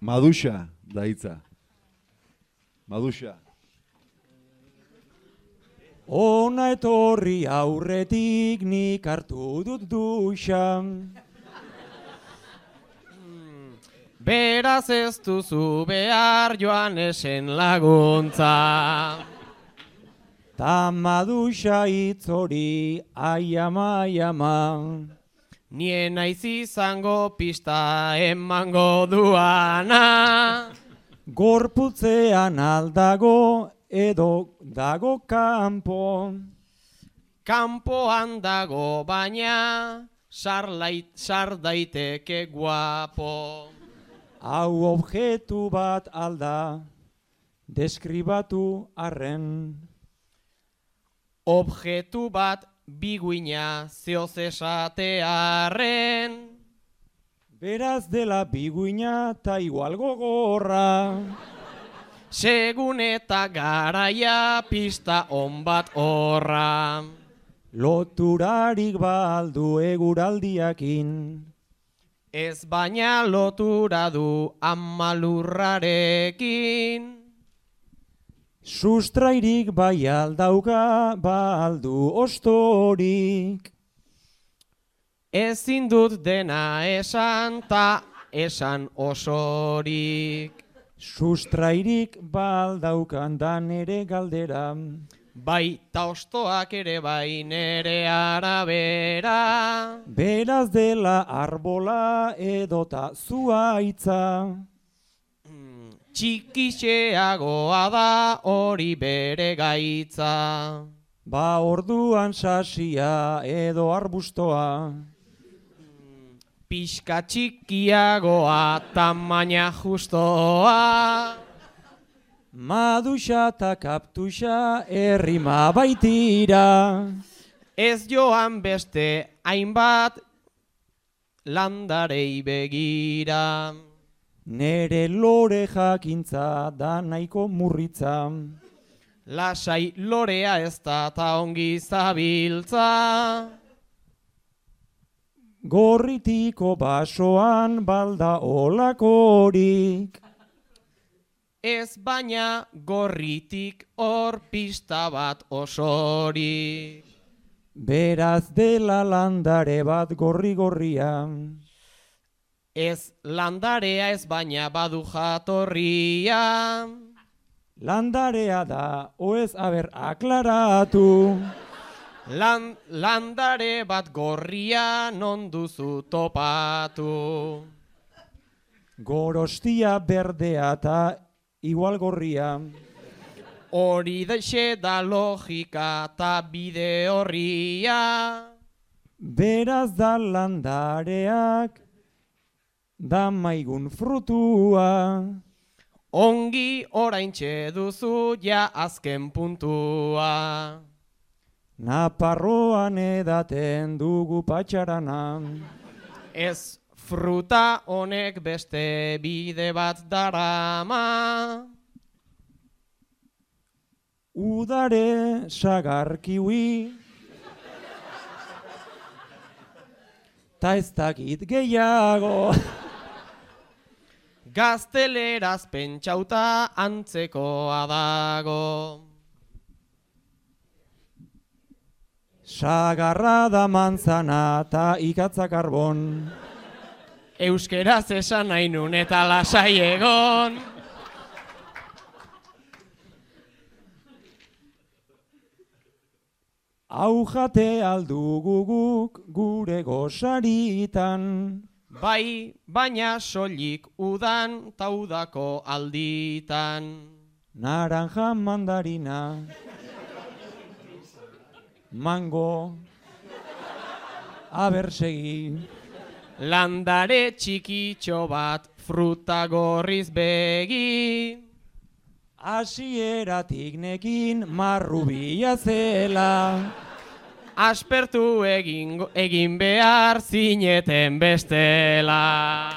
Maduxa da hitza. Maduxa. Ona etorri aurretik nik hartu dut duxa. Beraz ez duzu behar Joanesen laguntza. Ta maduxa hitz hori aiama, aiama. Nien naiz izango pista emango duana. Gorputzean aldago edo dago kanpo. Kanpoan dago baina sar daiteke guapo. Hau objektu bat alda, deskribatu arren. Objektu bat biguina zeoz esatearren. Beraz dela biguina ta igual gogorra. Segun eta garaia pista on bat horra. Loturarik baldu eguraldiakin. Ez baina lotura du amalurrarekin. Sustrairik bai aldauka baldu ostorik. Ezin dut dena esan ta esan osorik. Sustrairik baldaukan da nere galdera. Bai ta ostoak ere bai nere arabera. Beraz dela arbola edota zuaitza. Txikixeagoa da hori bere gaitza. Ba orduan sasia edo arbustoa. Pixka txikiagoa tamaina justoa. Maduxa eta kaptuxa errima baitira. Ez joan beste hainbat landarei begira. Nere lore jakintza da nahiko murritza. Lasai lorea ez da ta ongi zabiltza. Gorritiko basoan balda olakorik. Ez baina gorritik hor pista bat osorik. Beraz dela landare bat gorri-gorria. Ez landarea ez baina badu jatorria. Landarea da, oez aber aklaratu. Landare bat gorria non duzu topatu. Gorostia berdea eta igual gorria. Hori daixe da logika eta bide horria. Beraz da landareak da maigun frutua. Ongi oraintxe duzu ja azken puntua. Naparroan edaten dugu patxarana. Ez fruta honek beste bide bat darama. Udare sagar kiwi. Ta ez dakit gehiago. Gazteleraz pentsauta antzekoa dago. Sagarra da manzana eta ikatza karbon. Euskeraz esan nahi nun eta lasai egon. Hau jate aldugu guk gure gosaritan. Bai, baina soilik udan taudako alditan. Naranja mandarina. Mango. Abersegi. Landare txikitxo bat fruta gorriz begi. Hasieratik nekin marrubia zela. Aspertu egin behar zineten bestela.